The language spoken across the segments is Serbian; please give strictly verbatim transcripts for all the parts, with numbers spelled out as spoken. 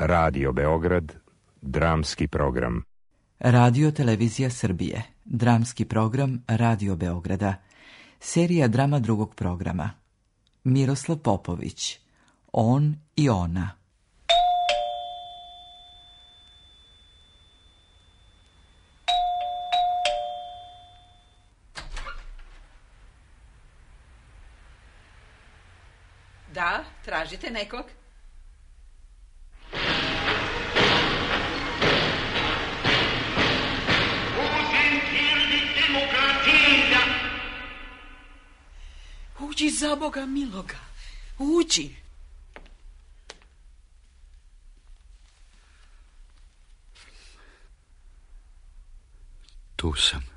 Radio Beograd, dramski program. Radio Televizija Srbije, dramski program Radio Beograda, serija drama drugog programa. Miroslav Popović, On i ona. Da, tražite nekog? Uđi, za Boga miloga, uđi. Tu sam.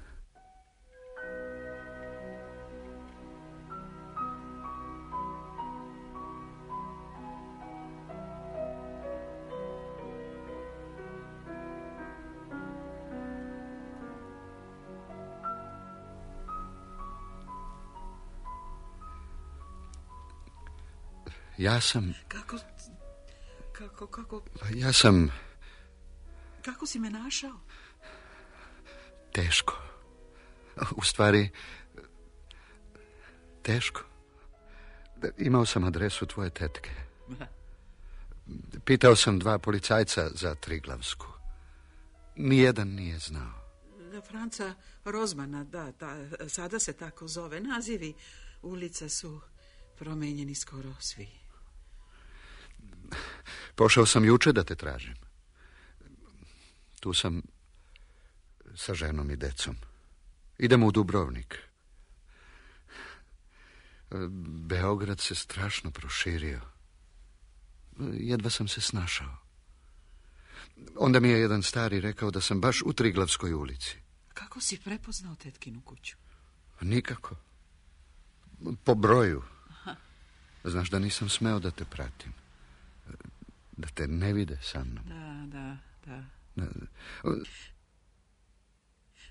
Ja sam... Kako... Kako, kako... Ja sam... Kako si me našao? Teško. U stvari... Teško. Imao sam adresu tvoje tetke. Pitao sam dva policajca za Triglavsku. Nijedan nije znao. Franca Rozmana, da, da, sada se tako zove. Nazivi ulica su promenjeni skoro svi. Pošao sam juče da te tražim. Tu sam sa ženom i decom. Idemo u Dubrovnik. Beograd se strašno proširio. Jedva sam se snašao. Onda mi je jedan stari rekao da sam baš u Triglavskoj ulici. Kako si prepoznao tetkinu kuću? Nikako. Po broju. Aha. Znaš da nisam smeo da te pratim. Da te ne vide sa mnom. Da, da, da. da.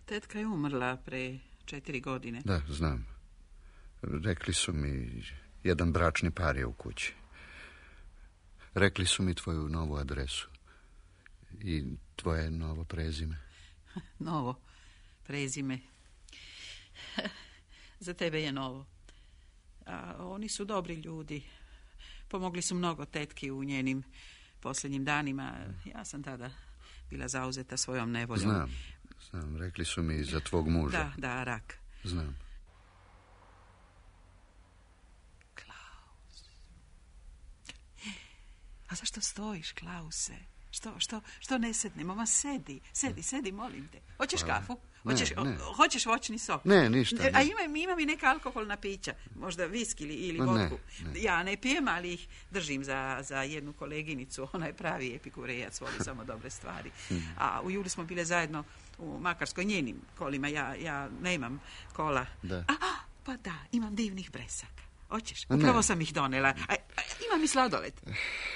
Tetka je umrla pre četiri godine. Da, znam. Rekli su mi, jedan bračni par je u kući. Rekli su mi tvoju novu adresu. I tvoje novo prezime. Novo prezime. Za tebe je novo. A oni su dobri ljudi. Pomogli su mnogo tetki u njenim posljednjim danima. Ja sam tada bila zauzeta svojom nevoljom. Znam, znam. Rekli su mi za tvog muža. Da, da, rak. Znam. Klaus. A zašto stojiš, Klause? Što, što, što ne sednemo? Ma sedi, sedi, sedi, molim te. Hoćeš Hvala. kafu? Hoćeš, ne, ne. hoćeš voćni sok? Ne, ništa. Ne. A imam, imam i neka alkoholna pića. Možda viski ili, ili Ma, vodku. Ne, ne. Ja ne pijem, ali ih držim za, za jednu koleginicu. Ona je pravi epikurejac, voli samo dobre stvari. A u julu smo bile zajedno u Makarskoj njenim kolima. Ja, ja nemam kola. Da. A, a, pa da, imam divnih bresaka. Hoćeš? Upravo ne. sam ih donela. A, a, imam i sladoled.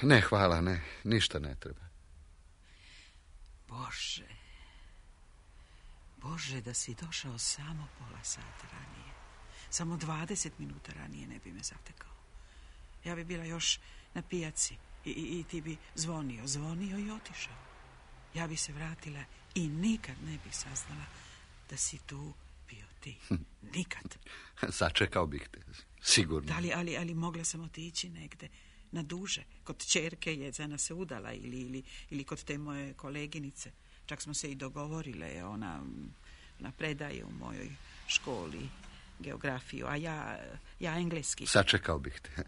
Ne, hvala, ne. Ništa ne treba. Bože, Bože, da si došao samo pola sata ranije. Samo dvadeset minuta ranije ne bi me zatekao. Ja bi bila još na pijaci i, i, i ti bi zvonio, zvonio i otišao. Ja bi se vratila i nikad ne bi saznala da si tu bio ti. Nikad. Sačekao bih te, sigurno. Da li, ali, ali mogla sam otići negde na duže. Kod ćerke Jedzana se udala ili, ili, ili kod te moje koleginice. Čak smo se i dogovorile, ona, ona predaje u mojoj školi geografiju, a ja, ja engleski. Sačekao bih te.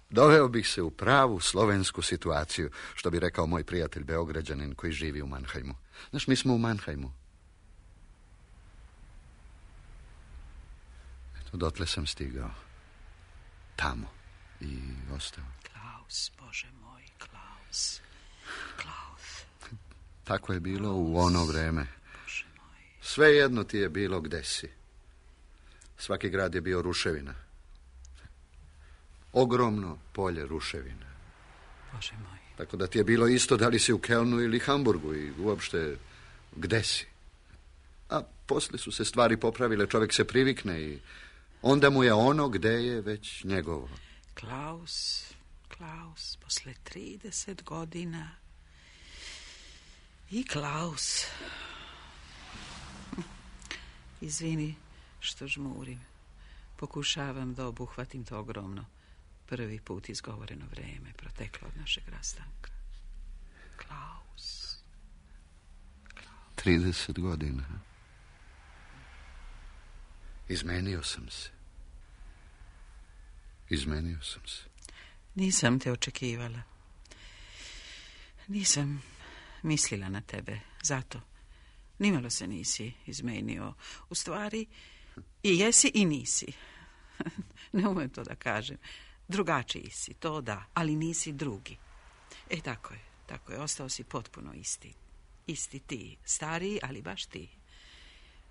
Doveo bih se u pravu slovensku situaciju, što bi rekao moj prijatelj Beograđanin koji živi u Mannheimu. Znaš, mi smo u Mannheimu. Eto, dotle sam stigao. Tamo. I ostao. Klaus, Bože moj, Klaus. Klaus. Tako je bilo u ono vreme. Bože moj. Sve jedno ti je bilo gde si. Svaki grad je bio ruševina. Ogromno polje ruševina. Bože moj. Tako da ti je bilo isto da li si u Kelnu ili Hamburgu i uopšte gde si. A posle su se stvari popravile, čovjek se privikne i onda mu je ono gde je već njegovo. Klaus, Klaus, posle trideset godina I Klaus. Izvini što žmurim. Pokušavam da obuhvatim to ogromno, prvi put izgovoreno vreme proteklo od našeg rastanka. Klaus. Klaus. trideset godina. Izmenio sam se. Izmenio sam se. Nisam te očekivala. Nisam mislila na tebe, zato. Nimalo se nisi izmenio. U stvari, i jesi i nisi. Ne umem to da kažem. Drugačiji si, to da, ali nisi drugi. E, tako je, tako je, ostao si potpuno isti. Isti ti, stariji, ali baš ti.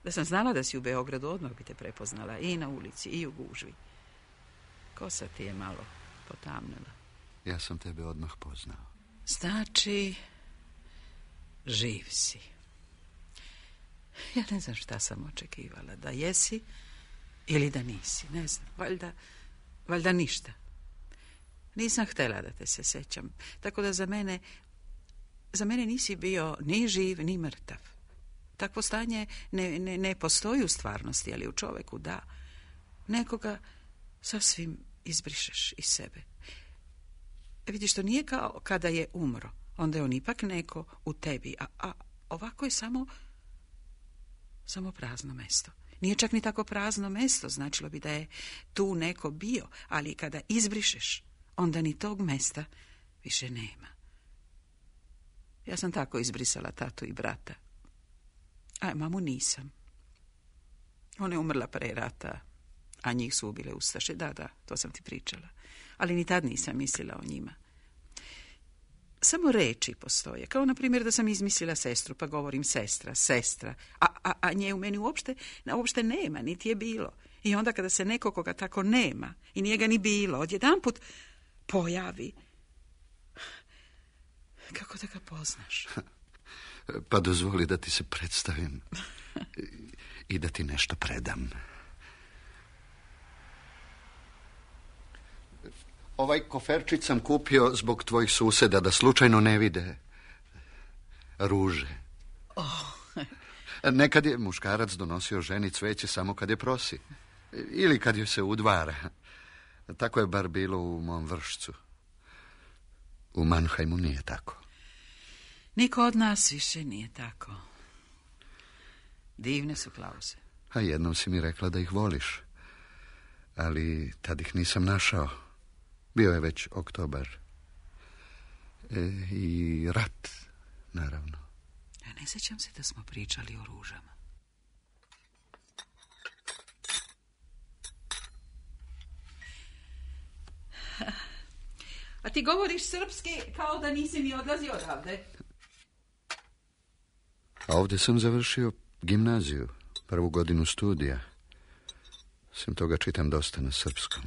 Da sam znala da si u Beogradu, odmah bi te prepoznala i na ulici, i u gužvi. Kosa ti je malo potamnila. Ja sam tebe odmah poznao. Znači, živ si. Ja ne znam šta sam očekivala, da jesi ili da nisi, ne znam, valjda, valjda ništa. Nisam htjela da te se sećam, tako da za mene, za mene nisi bio ni živ, ni mrtav. Takvo stanje ne, ne, ne postoji u stvarnosti, ali u čoveku da. Nekoga sasvim izbrišeš iz sebe. E, vidiš, to nije kao kada je umro, onda je on ipak neko u tebi, a, a ovako je samo, samo prazno mesto. Nije čak ni tako prazno mesto, značilo bi da je tu neko bio, ali kada izbrišeš, onda ni tog mesta više nema. Ja sam tako izbrisala tatu i brata. A mamu nisam. Ona je umrla pre rata, a njih su ubile ustaše. Da, da, to sam ti pričala. Ali ni tad nisam mislila o njima. Samo reči postoje. Kao, na primjer, da sam izmislila sestru, pa govorim sestra, sestra. A, a, a nje u meni uopšte, uopšte nema, niti je bilo. I onda kada se neko koga tako nema, i nije ga ni bilo, odjedanput pojavi. Kako da ga poznaš? Pa dozvoli da ti se predstavim i da ti nešto predam. Ovaj koferčić sam kupio zbog tvojih suseda, da slučajno ne vide ruže. Oh. Nekad je muškarac donosio ženi cveće samo kad je prosi. Ili kad joj se udvara. Tako je bar bilo u mom Vršcu. U Mannheimu nije tako. Niko od nas više nije tako. Divne su Klause. A jednom si mi rekla da ih voliš. Ali tad ih nisam našao. Bio je već oktobar. E, I rat, naravno. Ja ne sjećam se da smo pričali o ružama. A ti govoriš srpski kao da nisi ni odlazio odavde. A ovdje sam završio gimnaziju, prvu godinu studija. Sem toga čitam dosta na srpskom.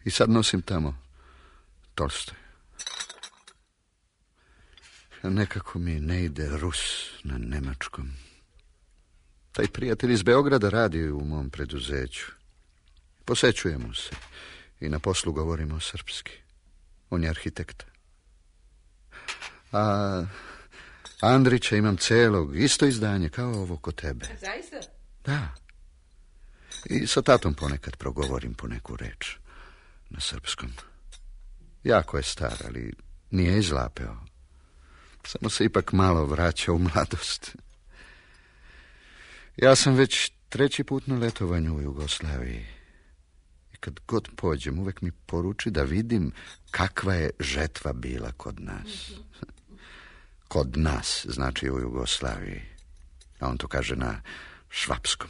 I sad nosim tamo Tolstoj. Nekako mi ne ide Rus na nemačkom. Taj prijatelj iz Beograda radi u mom preduzeću. Posećujemo se i na poslu govorimo srpski. On je arhitekta. A Andrića imam celog, isto izdanje kao ovo kod tebe. Zaista? Da. I sa tatom ponekad progovorim po neku reč na srpskom. Jako je star, ali nije izlapeo. Samo se ipak malo vraća u mladost. Ja sam već treći put na letovanju u Jugoslaviji. I kad god pođem, uvek mi poruči da vidim kakva je žetva bila kod nas. Kod nas, znači u Jugoslaviji. A on to kaže na švapskom.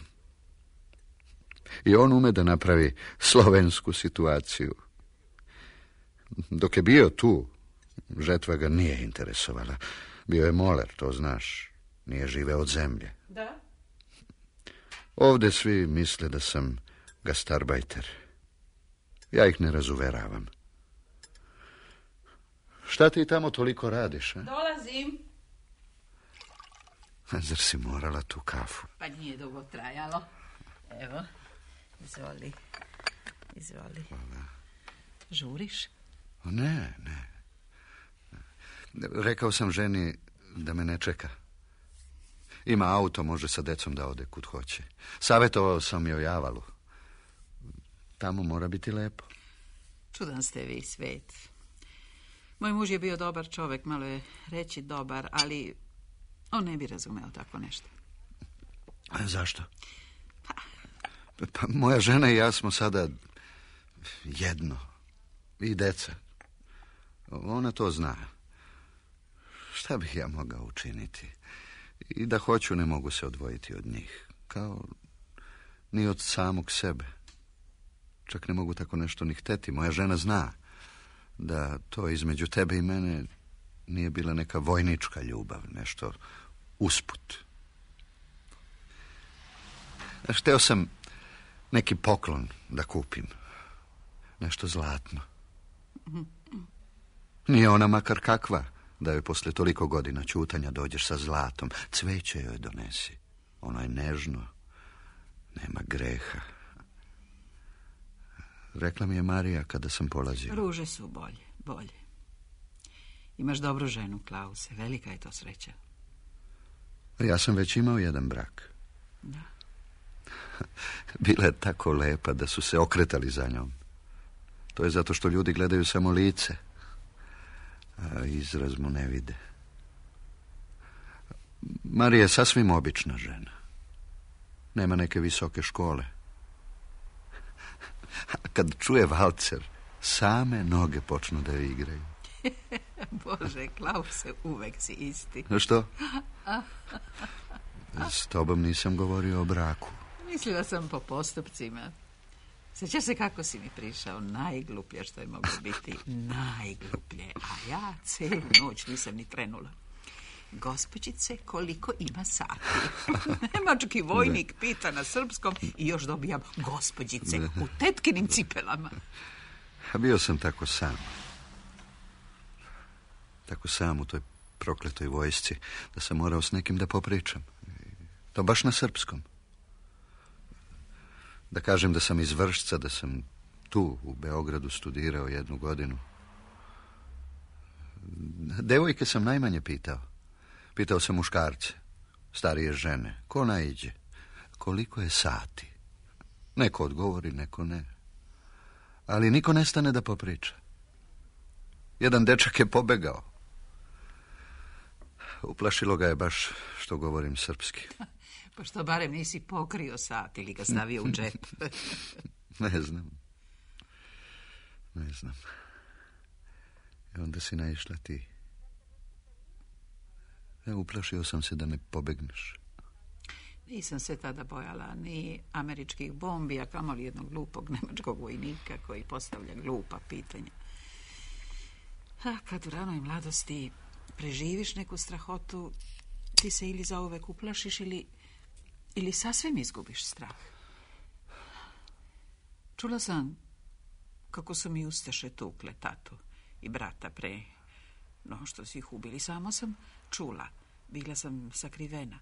I on ume da napravi slovensku situaciju. Dok je bio tu, žetva ga nije interesovala. Bio je moler, to znaš. Nije živeo od zemlje. Da? Ovdje svi misle da sam gastarbajter. Ja ih ne razuveravam. Šta ti tamo toliko radiš, a? Dolazim. Zar si morala tu kafu? Pa nije dugo trajalo. Evo, izvoli. Izvoli. Hvala. Žuriš? Ne, ne. Rekao sam ženi da me ne čeka. Ima auto, može sa decom da ode kud hoće. Savjetovao sam joj Javalu. Tamo mora biti lepo. Čudan ste vi, Svet. Moj muž je bio dobar čovjek, malo je reći dobar, ali on ne bi razumeo tako nešto. A zašto? Pa moja žena i ja smo sada jedno. I deca. Ona to zna. Šta bih ja mogao učiniti? I da hoću, ne mogu se odvojiti od njih. Kao ni od samog sebe. Čak ne mogu tako nešto ni hteti. Moja žena zna da to između tebe i mene nije bila neka vojnička ljubav, nešto usput. Hteo sam neki poklon da kupim. Nešto zlatno. Nije ona makar kakva, da joj posle toliko godina ćutanja dođeš sa zlatom. Cveće joj donesi. Ono je nežno. Nema greha. Rekla mi je Marija kada sam polazio. Ruže su bolje, bolje. Imaš dobru ženu, Klause. Velika je to sreća. Ja sam već imao jedan brak. Da. Bila je tako lepa da su se okretali za njom. To je zato što ljudi gledaju samo lice, a izraz mu ne vide. Marija je sasvim obična žena. Nema neke visoke škole. A kad čuje valcer, same noge počnu da joj igraju. Bože, Klause, uvek si isti. Što? S tobom nisam govorio o braku. Mislila sam po postupcima. Sjećaš se kako si mi prišao? Najgluplje što je moglo biti. Najgluplje. A ja cijelu noć nisam ni trenula. Gospođice, koliko ima sati? Nemački vojnik pita na srpskom i još dobijam gospođice u tetkinim cipelama. A bio sam tako sam. Tako sam u toj prokletoj vojsci da sam morao s nekim da popričam. To baš na srpskom. Da kažem da sam iz Vršca, da sam tu u Beogradu studirao jednu godinu. Devojke sam najmanje pitao. Pitao sam muškarce, starije žene, ko naiđe, koliko je sati. Neko odgovori, neko ne. Ali niko ne stane da popriča. Jedan dečak je pobegao. Uplašilo ga je baš što govorim srpski. Pa što barem nisi pokrio sat ili ga stavio u džep? Ne znam. Ne znam. I onda si naišla ti. Ja, uplašio sam se da me pobegneš. Nisam se tada bojala ni američkih bombi, a kamoli jednog glupog nemačkog vojnika koji postavlja glupa pitanja. A kad u ranoj mladosti preživiš neku strahotu, ti se ili zauvek uplašiš ili, ili sasvim izgubiš strah. Čula sam kako su mi ustaše tukle tatu i brata pre no što su ih ubili. Samo sam čula. Bila sam sakrivena.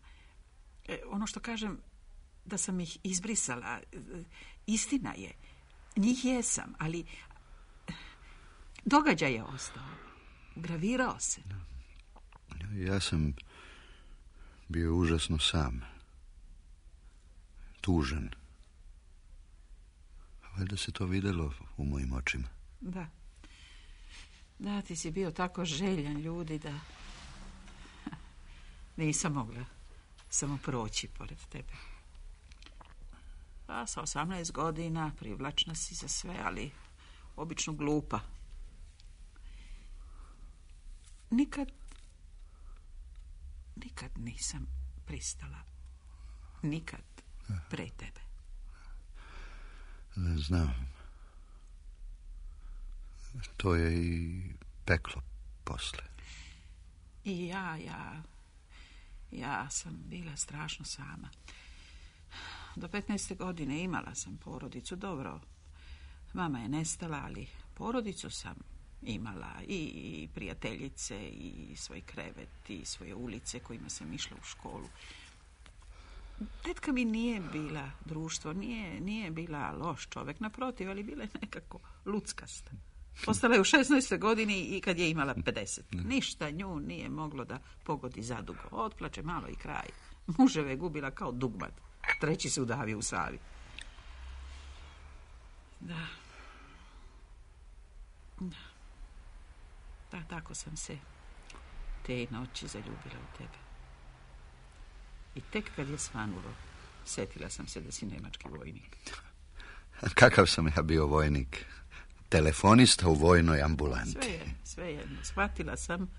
E, ono što kažem, da sam ih izbrisala, istina je. Njih jesam, ali događaj je ostao. Gravirao se. Ja sam bio užasno sam. Tužan. Valjda se to videlo u mojim očima. Da. Da, ti si bio tako željan ljudi da nisam mogla samo proći pored tebe. Pa sa osamnaest godina privlačna si za sve, ali obično glupa. Nikad, nikad nisam pristala. Nikad pre tebe. Ne znam. To je i peklo posle. I ja, ja, ja sam bila strašno sama. Do petnaeste godine imala sam porodicu, dobro. Mama je nestala, ali porodicu sam imala i prijateljice i svoj krevet i svoje ulice kojima sam išla u školu. Tetka mi nije bila društvo, nije, nije bila loš čovjek, naprotiv, ali bila je nekako luckasta. Ostala je u šesnaestoj godini i kad je imala pedeset. Ništa nju nije moglo da pogodi zadugo. Otplače malo i kraj. Muževe je gubila kao dugmad. Treći se udavio u Savi. Da. Da. Da, tako sam se te noći zaljubila u tebe. I tek kad je svanulo, setila sam se da si nemački vojnik. Kakav sam ja bio vojnik? Telefonista u vojnoj ambulanti. Sve je, sve jedno. Shvatila sam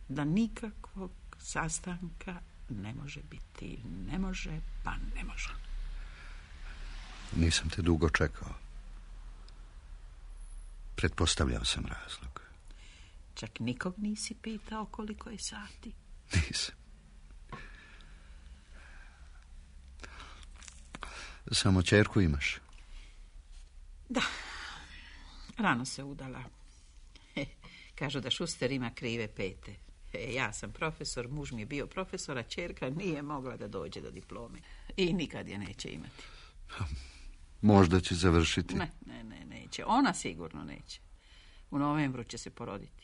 da nikakvog sastanka ne može biti. Ne može, pa ne može. Nisam te dugo čekao. Pretpostavljao sam razlog. Čak nikog nisi pitao koliko je sati? Nisam. Samo ćerku imaš? Da. Rano se udala. He, kažu da Šuster ima krive pete. He, ja sam profesor, muž mi je bio profesor, a ćerka nije mogla da dođe do diplome. I nikad je neće imati. Možda će završiti. Ne, ne, ne, neće. Ona sigurno neće. U novembru će se poroditi.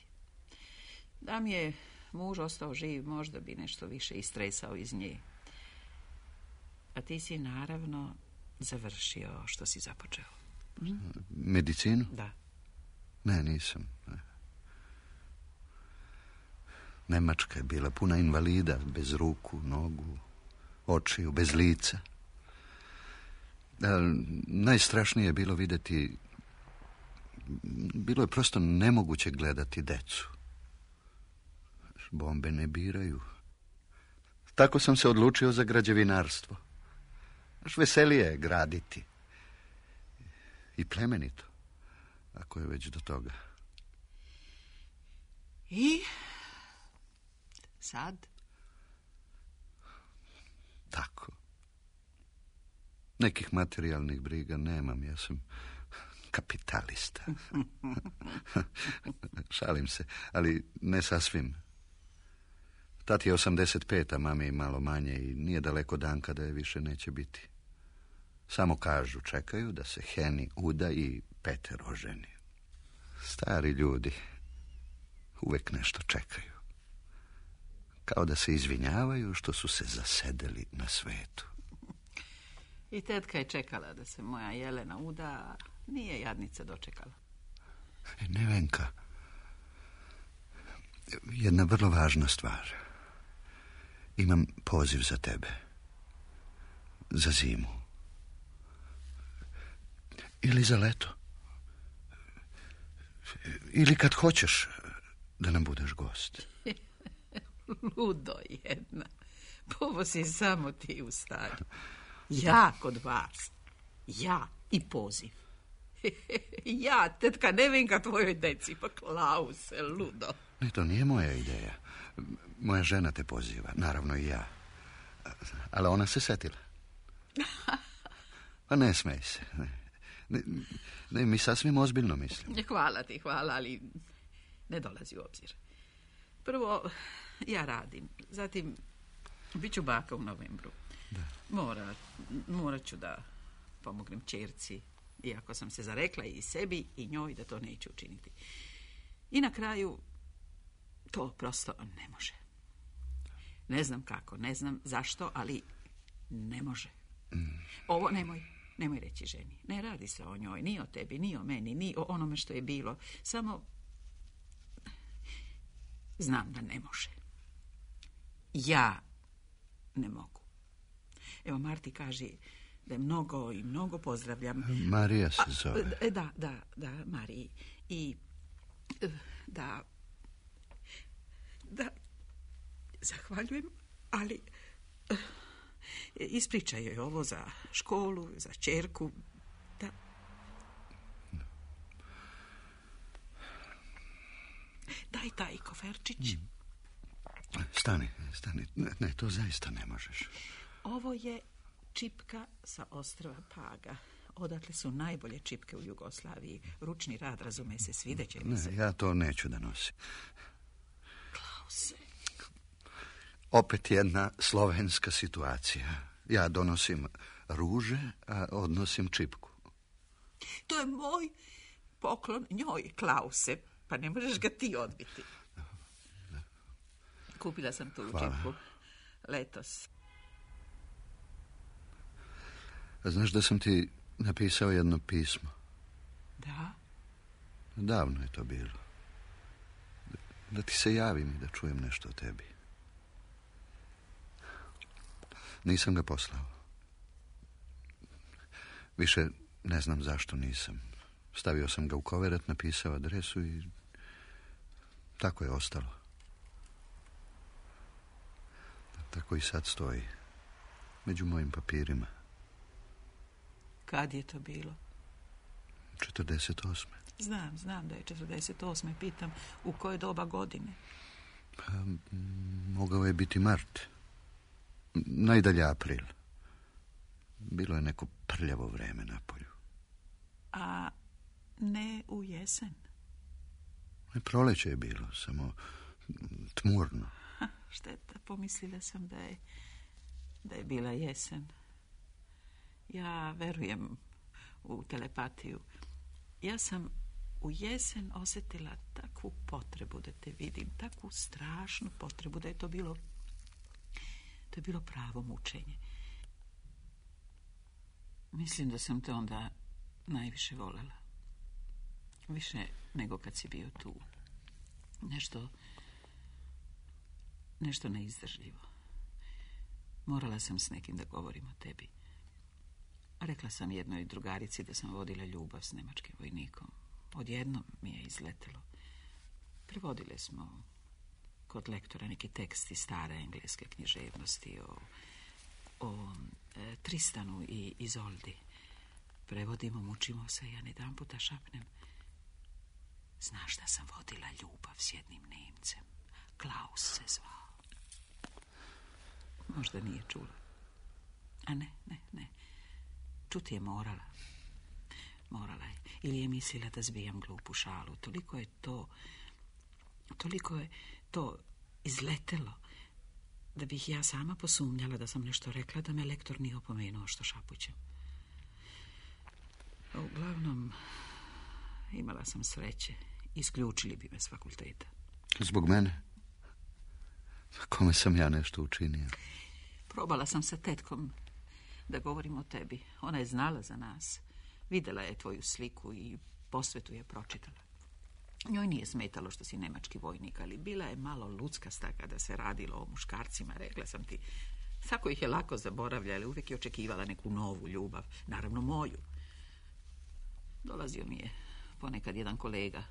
Da mi je muž ostao živ, možda bi nešto više istresao iz nje. A ti si naravno završio što si započeo. Hm? Medicinu? Da. Ne, nisam. Nemačka je bila puna invalida, bez ruku, nogu, očiju, bez lica. A najstrašnije je bilo vidjeti, bilo je prosto nemoguće gledati decu. Bombe ne biraju. Tako sam se odlučio za građevinarstvo. Až veselije je graditi. I plemenito, ako je već do toga. I sad? Tako. Nekih materijalnih briga nemam, ja sam kapitalista. Šalim se, ali ne sasvim. Tati je osamdeset pet, a mami je malo manje i nije daleko dan kada je više neće biti. Samo kažu, čekaju da se Heni uda i Peter oženi. Stari ljudi uvek nešto čekaju. Kao da se izvinjavaju što su se zasedeli na svetu. I tetka je čekala da se moja Jelena uda, a nije jadnica dočekala. E, Nevenka, jedna vrlo važna stvar. Imam poziv za tebe. Za zimu. Ili za leto. Ili kad hoćeš da nam budeš gost. Ludo jedna. Povo si samo ti u stanju. Ja kod vas. Ja i poziv. Ja, tetka Nevenka tvojoj deci. Pa Klause, ludo. Ne, to nije moja ideja. Moja žena te poziva, naravno i ja. Ali ona se setila. Pa ne smej se. Ne, ne, ne mi sasvim ozbiljno mislim. Hvala ti, hvala, ali ne dolazi u obzir. Prvo, ja radim. Zatim, bit ću baka u novembru. Da. Mora, morat ću da pomognem ćerci, iako sam se zarekla i sebi i njoj da to neću učiniti. I na kraju, to prosto ne može. Ne znam kako, ne znam zašto, ali ne može. Mm. Ovo nemoj, nemoj reći ženi. Ne radi se o njoj, ni o tebi, ni o meni, ni o onome što je bilo. Samo znam da ne može. Ja ne mogu. Evo, Marti kaže da je mnogo i mnogo pozdravljam. Marija se zove. A, da, da, da, Mariji. I da... Da, zahvaljujem, ali uh, ispričaj joj ovo za školu, za ćerku, da... Daj taj koferčić. Mm. Stani, stani, ne, ne, to zaista ne možeš. Ovo je čipka sa ostrva Paga. Odatle su najbolje čipke u Jugoslaviji. Ručni rad, razume se, svideće mi se. Ne, ja to neću da nosim. Klause. Opet jedna slovenska situacija. Ja donosim ruže, a odnosim čipku. To je moj poklon njoj, Klause, pa ne možeš ga ti odbiti. Kupila sam tu učitku letos. A znaš da sam ti napisao jedno pismo? Da? Davno je to bilo. Da, da ti se javim i da čujem nešto o tebi. Nisam ga poslao. Više ne znam zašto nisam. Stavio sam ga u koverat, napisao adresu i tako je ostalo. Tako i sad stoji. Među mojim papirima. Kad je to bilo? četrdeset osme. Znam, znam da je četrdeset osme. Pitam, u koje doba godine? Pa, mogao je biti mart. Najdalje april. Bilo je neko prljavo vreme na polju. A ne u jesen? Proleće je bilo, samo tmurno. Ha, šteta, pomislila sam da je, da je bila jesen. Ja verujem u telepatiju. Ja sam u jesen osjetila takvu potrebu da te vidim, takvu strašnu potrebu da je to bilo, to je bilo pravo mučenje. Mislim da sam te onda najviše voljela. Više nego kad si bio tu. Nešto, nešto neizdržljivo. Morala sam s nekim da govorim o tebi. Rekla sam jednoj drugarici da sam vodila ljubav s nemačkim vojnikom. Odjednom mi je izletelo. Prevodile smo kod lektora neki tekst iz stare engleske književnosti o, o e, Tristanu i Izoldi. Prevodimo, mučimo se, ja jedan puta šapnem. Znaš da sam vodila ljubav s jednim Nemcem. Klaus se zvao. Možda nije čula. A ne, ne, ne. Čuti je morala. Morala je. Ili je mislila da zbijam glupu šalu. Toliko je to... Toliko je to izletelo da bih ja sama posumnjala da sam nešto rekla, da me lektor nije opomenuo što šapućem. Uglavnom, imala sam sreće. Isključili bi me s fakulteta. Zbog mene? Kome sam ja nešto učinio? Probala sam sa tetkom da govorim o tebi. Ona je znala za nas. Videla je tvoju sliku i posvetu je pročitala. Njoj nije smetalo što si nemački vojnik, ali bila je malo luckasta kada se radilo o muškarcima. Rekla sam ti, tako ih je lako zaboravljala, uvijek je očekivala neku novu ljubav. Naravno moju. Dolazio mi je ponekad jedan kolega,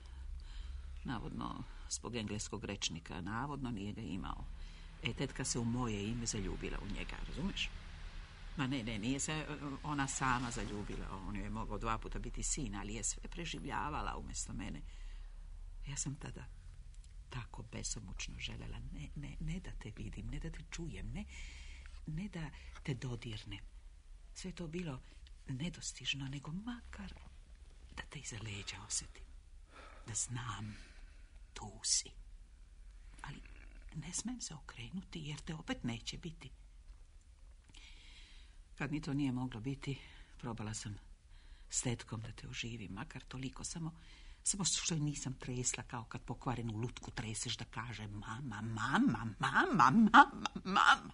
navodno zbog engleskog rečnika, navodno nije ga imao. E, tetka se u moje ime zaljubila u njega, razumeš? Ma ne, ne, nije se ona sama zaljubila. On joj je mogao dva puta biti sin, ali je sve preživljavala umjesto mene. Ja sam tada tako besomučno želela, ne, ne, ne da te vidim, ne da te čujem, ne, ne da te dodirnem. Sve to bilo nedostižno, nego makar da te iza leđa osjetim. Da znam, tu si. Ali ne smem se okrenuti, jer te opet neće biti. Kad mi to nije moglo biti, probala sam s tetkom da te oživim, makar toliko, samo, samo što je nisam tresla kao kad pokvarenu lutku treseš da kaže mama, mama, mama, mama, mama.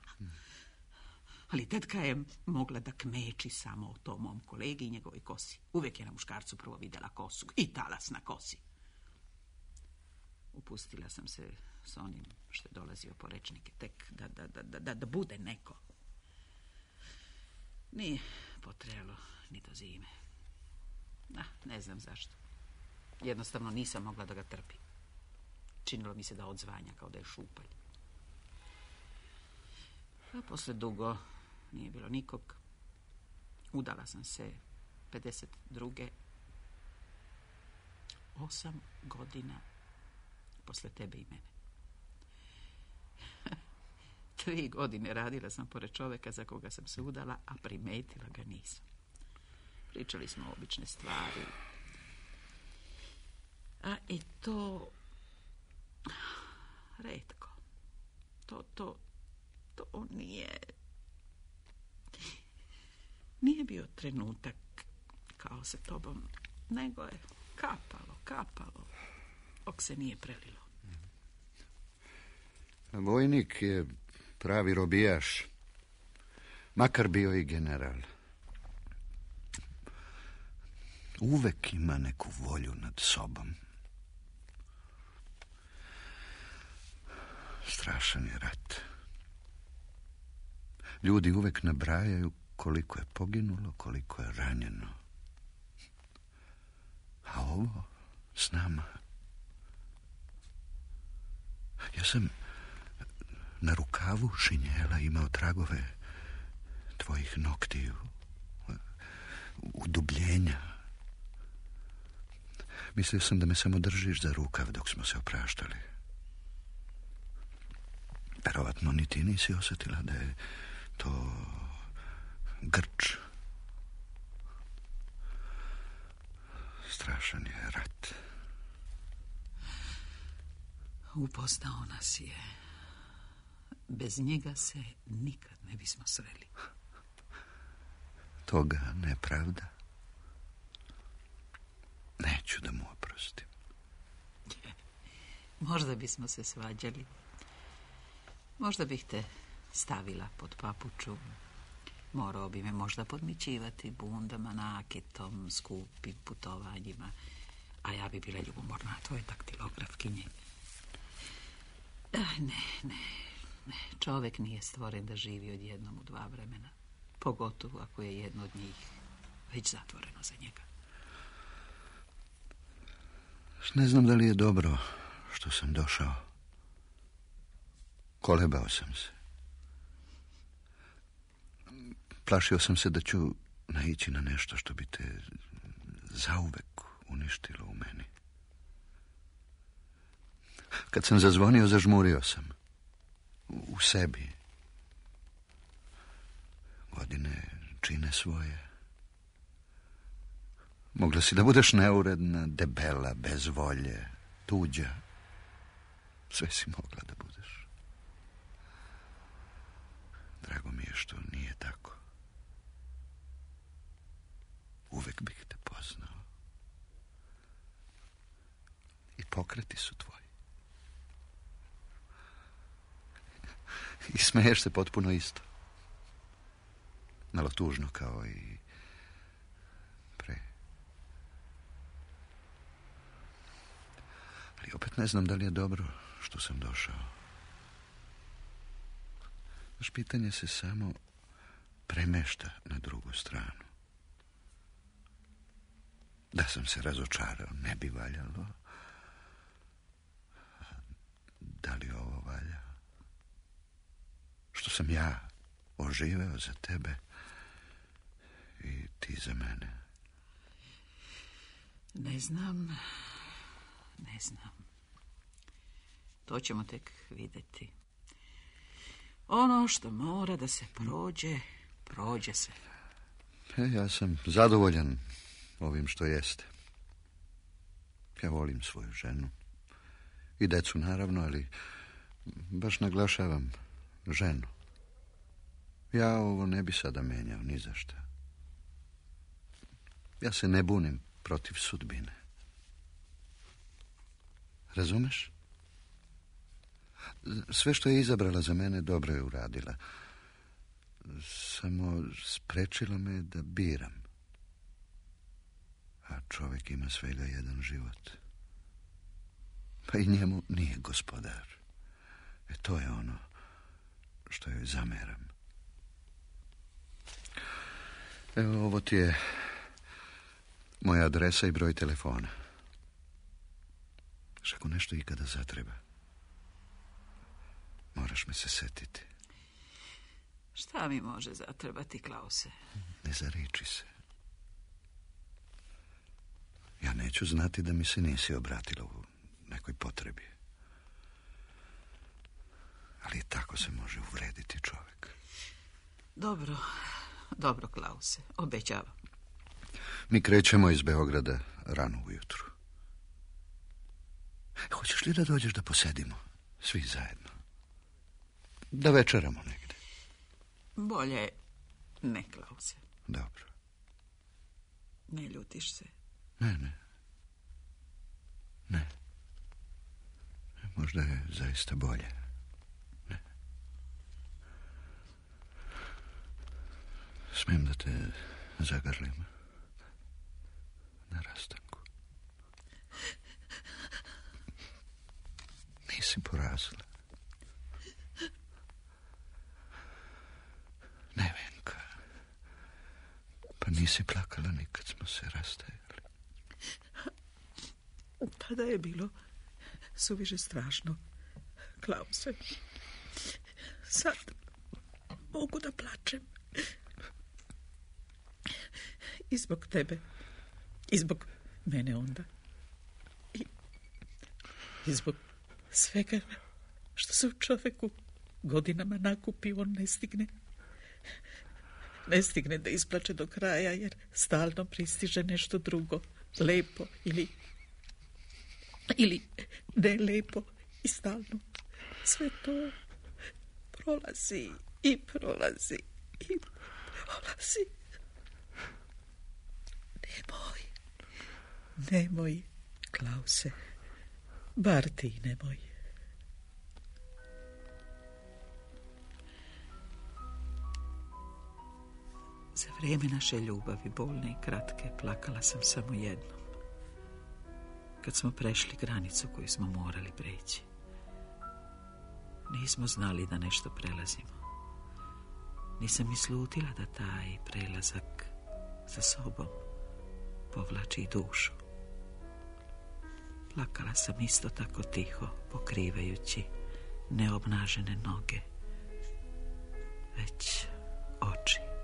Ali tetka je mogla da kmeči samo o tom mom kolegi i njegovoj kosi. Uvijek je na muškarcu prvo vidjela kosu i talas na kosi. Upustila sam se s onim što je dolazio po rečnike, tek da, da, da, da, da bude neko. Nije potrebalo ni do zime. Ah, ne znam zašto. Jednostavno nisam mogla da ga trpim. Činilo mi se da odzvanja kao da je šupalj. A posle dugo nije bilo nikog. Udala sam se pedeset druge Osam godina posle tebe i mene. Tri godine radila sam pored čoveka za koga sam se udala, a primetila ga nisam. Pričali smo obične stvari. A i to... retko. To, to, to nije... Nije bio trenutak kao sa tobom, nego je Kapalo, kapalo, dok se nije prelilo. Vojnik je pravi robijaš, makar bio i general. Uvek ima neku volju nad sobom. Strašan je rat. Ljudi uvek nabrajaju koliko je poginulo, koliko je ranjeno. A ovo s nama. Ja sam na rukavu šinjela imao tragove tvojih noktiju, udubljenja. Mislio sam da me samo držiš za rukav dok smo se opraštali. Verovatno ni ti nisi osjetila da je to grč. Strašan je rat. Upoznao nas je. Bez njega se nikad ne bismo sreli. Toga nepravda. Neću da mu oprostim. Možda bismo se svađali. Možda bih te stavila pod papuču. Morao bi me možda podmićivati bundama, nakitom, skupim putovanjima. A ja bi bila ljubomorna tvoje daktilografkinje. Ah, ne, ne, ne. Čovek nije stvoren da živi odjednom u dva vremena. Pogotovo ako je jedno od njih već zatvoreno za njega. Ne znam da li je dobro što sam došao. Kolebao sam se. Plašio sam se da ću naići na nešto što bi te zauvek uništilo u meni. Kad sam zazvonio, zažmurio sam. U sebi. Godine čine svoje. Mogla si da budeš neuredna, debela, bez volje, tuđa. Sve si mogla da budeš. Drago mi je što nije tako. Uvek bih te poznao. I pokreti su tvoji. I smeješ se potpuno isto. Malo tužno kao i pre. Ali opet ne znam da li je dobro što sam došao. Vaš pitanje se samo premešta na drugu stranu. Da sam se razočarao, ne bi valjalo. Da li ovo valja? Što sam ja oživeo za tebe i ti za mene? Ne znam, ne znam. To ćemo tek vidjeti. Ono što mora da se prođe, prođe se. E, ja sam zadovoljan ovim što jeste. Ja volim svoju ženu. I decu naravno, ali baš naglašavam ženu. Ja ovo ne bi sada menjao ni za šta. Ja se ne bunim protiv sudbine. Razumeš? Sve što je izabrala za mene dobro je uradila. Samo sprečila me da biram. A čovjek ima svega jedan život. Pa i njemu nije gospodar. E to je ono što joj zameram. Evo, ovo ti je moja adresa i broj telefona. Što ako nešto ikada zatreba, moraš me se setiti. Šta mi može zatrebati, Klause? Ne zariči se. Ja neću znati da mi se nisi obratila u nekoj potrebi. Ali tako se može uvrediti čovjek. Dobro, dobro, Klause, obećavam. Mi krećemo iz Beograda rano ujutru. Hoćeš li da dođeš da posedimo? Svi zajedno. Da večeramo negdje. Bolje ne, Klause. Dobro. Ne ljutiš se? Ne, ne. Ne. Možda je zaista bolje. Ne. Smijem da te zagrlim na rastanku. Nisi porazila. Ne, Venka. Pa nisi plakala nikad smo se rastajali. Pa da je bilo suviše strašno, Klause. Sad mogu da plačem. I zbog tebe. I zbog mene onda. I, i zbog svega što se u čoveku godinama nakupi, on ne stigne. Ne stigne da isplače do kraja, jer stalno pristiže nešto drugo. Lepo ili ili ne lepo i stalno. Sve to prolazi i prolazi i prolazi. Nemoj, nemoj, Klause, bar ti nemoj. Za vrijeme naše ljubavi, bolne i kratke, plakala sam samo jednom. Kad smo prešli granicu koju smo morali preći. Nismo znali da nešto prelazimo. Nisam ni slutila da taj prelazak za sobom povlači i dušu. Plakala sam isto tako tiho, pokrivajući neobnažene noge, već oči.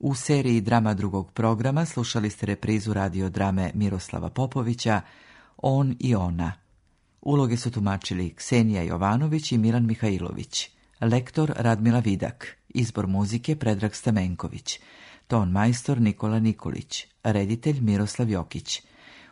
U seriji Drama drugog programa slušali ste reprizu radiodrame Miroslava Popovića On i ona. Uloge su tumačili Ksenija Jovanović i Milan Mihajlović. Lektor Radmila Vidak. Izbor muzike Predrag Stamenković. Ton majstor Nikola Nikolić. Reditelj Miroslav Jokić.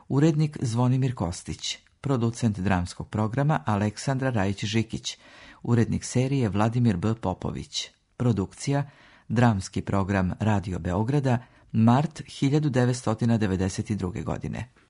Urednik Zvonimir Kostić. Producent dramskog programa Aleksandra Rajić-Žikić. Urednik serije Vladimir B. Popović. Produkcija Dramski program Radio Beograda, mart hiljadu devetsto devedeset druge. godine.